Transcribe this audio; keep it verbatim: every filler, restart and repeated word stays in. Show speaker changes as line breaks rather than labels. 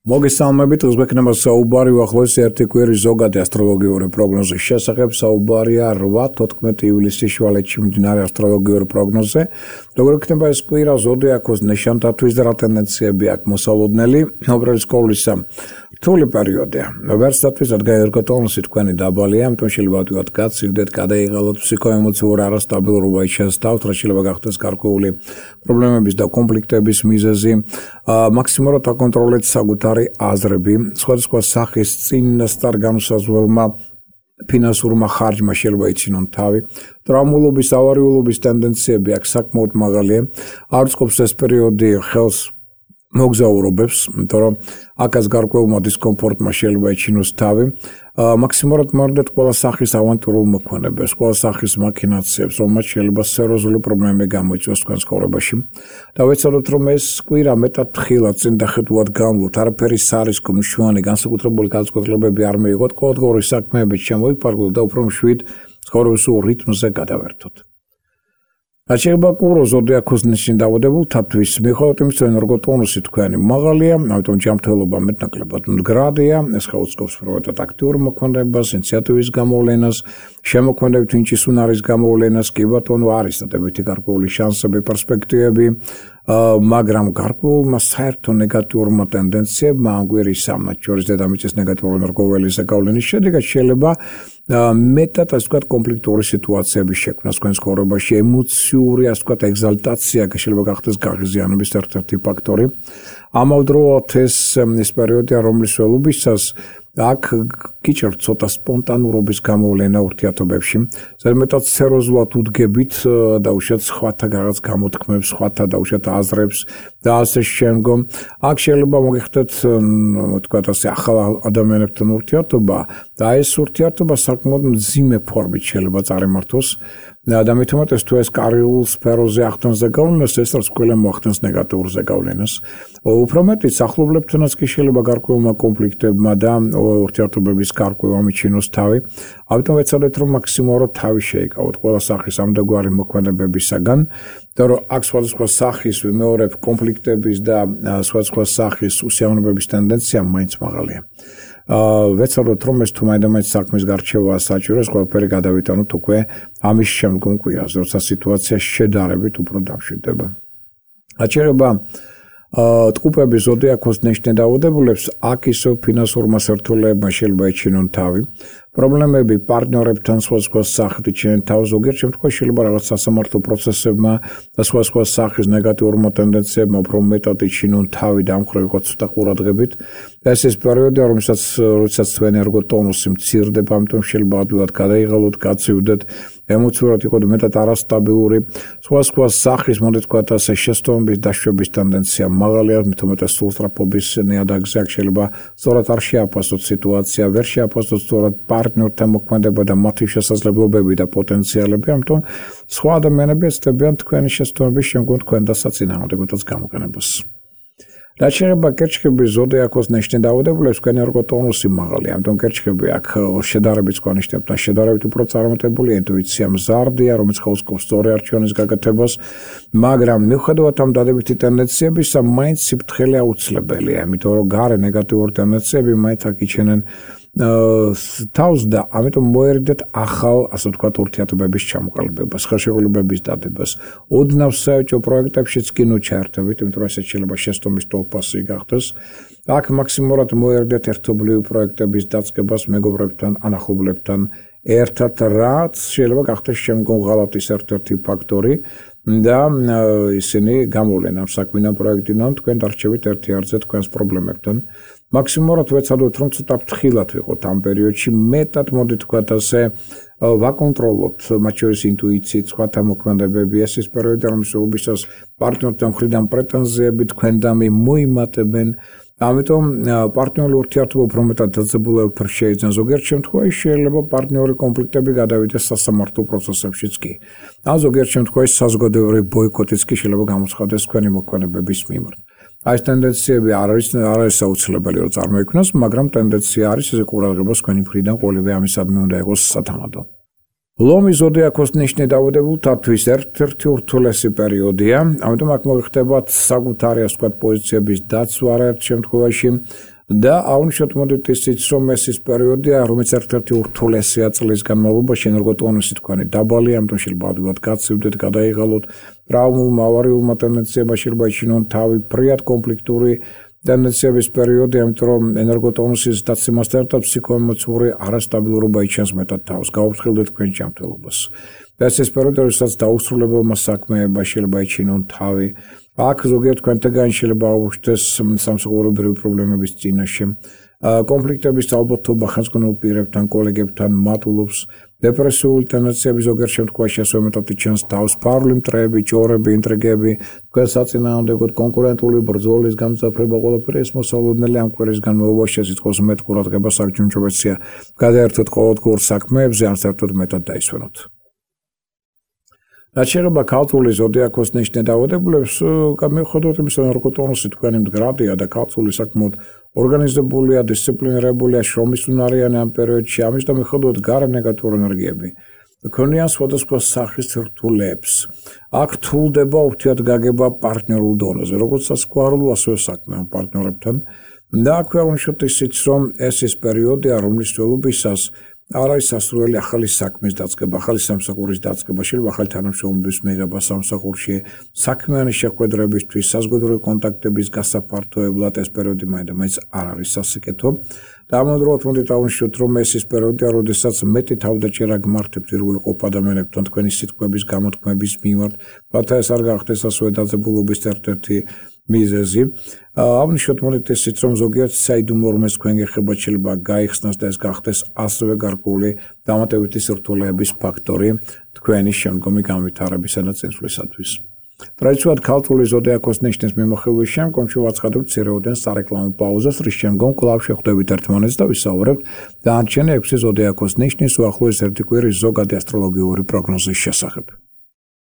მოგესალმებით, უზბეკნებმა საუბარი უახლოეს ერთი კვირის ზოგადი ასტროლოგიური პროგნოზის შესახებ. საუბარია რვა თოთხმეტი ივლისის შუალედში მიმდინარე ასტროლოგიური პროგნოზზე. როგორ იქნება ეს კვირა ზოდიაქოს ნიშანთათვის და რა ტენდენციები აქვს მოსალოდნელი? უბრალოდ სკოლისა რთული პერიოდია. ვერსტატვის რადგან ერგოტონუსი თქვენი დაბალია, ამიტომ შეიძლება ვთქვათ გაცილდეთ, გადაიღალოთ ფსიქოემოციური არასტაბილურობა შეესწავლოთ, რა შეიძლება გახდეს გარკვეული პრობლემების და კონფლიქტების მიზეზი. მაქსიმალურად აკონტროლეთ საკუთარი აზრები, სხვადასხვა სახის წინასწარ განუსაზღვრელმა ფინანსურმა ხარჯმა შეიძლება იცინონ თავი. ტრაუმულობის, ავარიულობის ტენდენციები აქვს საკმაოდ მაღალია. არ წყობს ეს პერიოდი ხელს მოგზაურობებს, იმიტომ რომ აკაც გარკვეულმა დისკომფორტმა შეიძლება იცინოს თავი. მაქსიმალურად მოვიდეთ ყველა სახის ავანტურულ მოქმედებებს, ყველა სახის მაქინაციებს, რომელმაც შეიძლება სერიოზული პრობლემები გამოიწვიოს თქვენ ცხოვრებაში. და ვეცადოთ, რომ ეს კვირა მეტად თხილად წინ დახედულად გამლოთ, არაფერი სარისკო მშვენი განსაკუთრებული განწყობლებები არ მიიღოთ, ყოველდღიური საქმეებით შემოიფარგლოთ და უფრო მშვიდ ცხოვრების რიტმზე გადავერთოთ. Aceea cu zodiacul ნიშნ დაავადებულთათვის მიუხედავად იმისა, რომ ერგოტონუსი თქვენი მაღალია, ამიტომ ჯანმრთელობა მეტნაკლებად მდგრადია, ეს ხელს უბრალოდ აქტიურ მოქმედებას, ინიციატივის გამოვლენას, შემოქმედებით ვინჩის უნარის გამოვლენას, კი ბატონო არის დადებითი გარკვეული შანსები, პერსპექტივები, მაგრამ გარკვეულმა საერთო ნეგატიურმა ტენდენციებმა ამ კვირის სამად შორის დედამიწის ნეგატიური ენერგოველის გავლენის შედეგად შეიძლება მეტად ასე ვთქვათ კონფლიქტური სიტუაციების შექმნა თქვენ ცხოვრებაში, ემოციური ასე ვთქვათ ეგზალტაცია შეიძლება გახდეს გაღიზიანების ერთ-ერთი ფაქტორი. ამავდროულად ეს ეს პერიოდია, რომლის ველობისას აქ გიჭირთ ცოტა სპონტანურობის გამოვლენა ურთიერთობებში. ზედმეტად სერიოზულად უდგებით დაუშვათ სხვათა რაღაც გამოთქმებს, სხვათა დაუშვათ აზრებს და ასე შემდგომ. აქ შეიძლება მოგიხდეთ ვთქვათ ასე ახალ ადამიანებთან ურთიერთობა და ეს ურთიერთობა საკმაოდ მძიმე ფორმით შეიძლება წარიმართოს. და მით უმეტეს თუ ეს კარიერულ სფეროზე ახდენს ზეგავლენას, ეს რაც ყველა მოახდენს ნეგატიურ ზეგავლენას. უფრო მეტიც ახლობლებთანაც კი შეიძლება გარკვეულმა კონფლიქტებმა და ურთიერთობების გარკვევა მიჩინოს თავი. ამიტომ ვეცადეთ, რომ მაქსიმალურად თავი შეიკავოთ ყველა სახის ამდაგვარი მოქმედებებისაგან და რომ აქ სხვადასხვა სახის ვიმეორებ კონფლიქტების და სხვადასხვა სახის უსიამოვნებების ტენდენცია მაინც მაღალია. ვეცადოთ, რომ ეს თუ მაინდა-მაინც საქმის გარჩევაა საჭირო, ეს ყველაფერი გადავიტანოთ უკვე ამის შემდგომ კვირაზე, როცა სიტუაცია შედარებით უფრო დამშვიდდება. აჩერება ტყუპების ზოდიაქოს ნიშნ დაავადებულებს აქ ისევ ფინანსურმა სირთულეებმა შეიძლება ეჩინონ თავი. პრობლემები პარტნიორებთან სხვადასხვა სახით იჩენენ თავს, ზოგიერთ შემთხვევაში შეიძლება რაღაც სასამართლო პროცესებმა და სხვადასხვა სახის ნეგატიურმა ტენდენციებმა უფრო მეტად იჩინონ თავი და ამ მხრივ იყო ცოტა ყურადღებით. ეს ის პერიოდია, რომელსაც როდესაც თქვენი ერგოტონუსი მცირდება, ამიტომ შეიძლება ადვილად გადაიღალოთ, გაცივდეთ, ემოციურად იყოთ მეტად არასტაბილური. სხვადასხვა სახის, მოდით ვთქვათ ასე, შესტოების დაშვების ტენდენცია მაღალია, მით უმეტეს სულსწრაფობის ნიადაგზე აქ შეიძლება სწორად არ შეაფასოთ სიტუაცია, ვერ შეაფასოთ სწორად პარტნიორთან მოქმედება და მათი შესაძლებლობები და პოტენციალები, ამიტომ სხვა ადამიანები ეცდებიან თქვენი შესტოების შემდგომ თქვენ და საწინააღმდეგოთაც გამოყენებას. რაც შეეხება კერჩხების ზოდიაქოს ნიშნ დაავადებულებს, თქვენი ერგოტონუსი მაღალია, ამიტომ კერჩხები აქ შედარებით სხვა ნიშნებთან შედარებით უფრო წარმატებული ინტუიცია მზარდია, რომელიც ხელს უწყობს სწორი არჩევნის გაკეთებას, მაგრამ მიუხედავად ამ დადებითი ტენდენციებისა, მაინც სიფრთხილე აუცილებელია, იმიტომ რომ გარე ნეგატიური ტენდენციები მაინც აქ იჩენენ თავს და ამიტომ მოერიდეთ ახალ, ასე ვთქვათ, ურთიერთობების ჩამოყალიბებას, ხელშეკრულებების დადებას. ოდნავ საერთო პროექტებშიც კი ნუ ჩაერთებით, იმიტომ რომ ესეც შეიძლება შესტომის ტოლფასი გახდეს. აქ მაქსიმალურად მოერიდეთ ერთობლივი პროექტების დაწყებას მეგობრებთან, ანახობლებთან ერთად, რაც შეიძლება გახდეს შემდგომ ღალატის ერთ-ერთი ფაქტორი და ისინი გამოვლენ ამ საქმიან პროექტიდან თქვენ დარჩებით ერთი არცე თქვენს პრობლემებთან. მაქსიმალურად ვეცადოთ, რომ ცოტა ფრთხილად ვიყოთ ამ პერიოდში, მეტად მოდით ვთქვათ ასე ვაკონტროლოთ მათ შორის ინტუიციით, სხვათა მოქმედებები, ეს ის პერიოდია, რომლის უბისას პარტნიორთან მხრიდან პრეტენზიები თქვენდამი მოიმატებენ. ამიტომ პარტნიორული ურთიერთობა უფრო მეტად დაძაბულებად შეიძლება ზოგიერთ შემთხვევაში შეიძლება პარტნიორი კონფლიქტები გადავიდეს სასამართლო პროცესებშიც კი. ან ზოგიერთ შემთხვევაში საზოგადოებრივი ბოიკოტიც კი შეიძლება გამოცხადდეს თქვენი მოქმედებების მიმართ. აი ეს ტენდენციები არ არის არ არის აუცილებელი რომ წარმოიქმნას, მაგრამ ტენდენცია არის, ესე ყურადღებას თქვენი მხრიდან ყოველივე ამისადმი უნდა იყოს სათამადო. ლომის ზოდიაქოს ნიშნი დაავადებულთათვის ერთ-ერთი ურთულესი პერიოდია, ამიტომ აქ მოიხდებათ საკუთარი ასე ვთქვათ პოზიციების დაცვა ერთ შემთხვევაში და აუნიშნოთ მოდით ისიც რომ ეს ის პერიოდია, რომელიც ერთ-ერთი ურთულესია წლის განმავლობაში, ენერგოტონუსი თქვენი დაბალი, ამიტომ შეიძლება ადვილად გაცივდეთ, გადაიღალოთ, ტრავმულმა, ავარიულმა ტენდენციებმა შეიძლება იჩინონ თავი, ფრიად კონფლიქტური ტენდენციების პერიოდი, ამიტომ რომ ენერგოტონუსის დაცემასთან ერთად ფსიქოემოციური არასტაბილურობა იჩენს მეტად თავს. გაუფრთხილდეთ თქვენ ჯანმრთელობას. ეს ის პერიოდი, როდესაც დაუსრულებელმა საქმეებმა შეიძლება იჩინონ თავი. აქ ზოგიერთ თქვენთაგან შეიძლება აუჩნდეს სამსახურებრივი პრობლემების წინაშე. კონფლიქტების ალბათობა ხელმძღვანელ პირებთან, კოლეგებთან მატულობს. დეპრესიული ტენდენციები ზოგიერთ შემთხვევაში ასევე მეტად იჩენს თავს. ფარული მტრეები, ჭორები, ინტრიგები, თქვენ საწინააღმდეგოდ კონკურენტული ბრძოლის გამძაფრება, ყველაფერი ეს მოსალოდნელი ამ კვირის განმავლობაში სიტყვის მეტ ყურადღებას აღჯუნჯობეცია. გადაერთოთ ყოველდღიურ საქმეებზე, ან საერთოდ მეტად დაისვენოთ. რაც შეეხება ქალწულის ზოდიაქოს ნიშნით დაავადებულებს, მიუხედავად იმისა, რომ ენერგოტონუსი თქვენი მდგრადია და ქალწული საკმაოდ ორგანიზებულია, დისციპლინირებულია, შრომისუნარიანი ამ პერიოდში, ამის და მიუხედავად გარე ნეგატიურ ენერგიები ქონიან სხვადასხვა სახის რთულებს. აქ რთულდება ურთიერთგაგება პარტნიორულ დონეზე, როგორც სასქესო, ასევე საქმე პარტნიორებთან. და აქვე აუნიშნოთ ისიც, რომ ეს ის პერიოდია, რომლის ველობისას არ არის სასურველი ახალი საქმის დაწყება, ახალი სამსახურის დაწყება, შეიძლება ახალი თანამშრომლობის მიღება სამსახურში, საქმიანი შეხვედრებისთვის, საზოგადოებრივი კონტაქტების გასაფართოებლად ეს პერიოდი მაინც არ არის სასიკეთო. და ამავდროულად მოდით აუნიშნოთ, რომ ეს ის პერიოდია, როდესაც მეტი თავდაჭერა გმართებთ პირველ ყოფ ადამიანებთან თქვენი სიტყვების გამოთქმების მიმართ, რათა ეს არ გახდეს ასევე დაძაბულობის ერთ-ერთი მიზეზი. აუნიშნოთ მოდით ისიც, რომ ზოგიერთ საიდუმლო რამეს თქვენ გეხებათ შეიძლება გაიხსნას და ეს გახდეს ასევე გარკვეული დამატებითი სირთულეების ფაქტორი თქვენი შემდგომი განვითარებისა და წინსვლისათვის. ტრადიციულად ქალწული ზოდიაქოს ნიშნის მიმოხილვის შემდგომ შევაცხადებთ მცირეოდენ სარეკლამო პაუზას, რის შემდგომ კვლავ შევხვდებით ერთმანეთს და ვისაუბრებთ დანარჩენი ექვსი ზოდიაქოს ნიშნის უახლოესი ერთი კვირის ზოგადი ასტროლოგიური პროგნოზის შესახებ.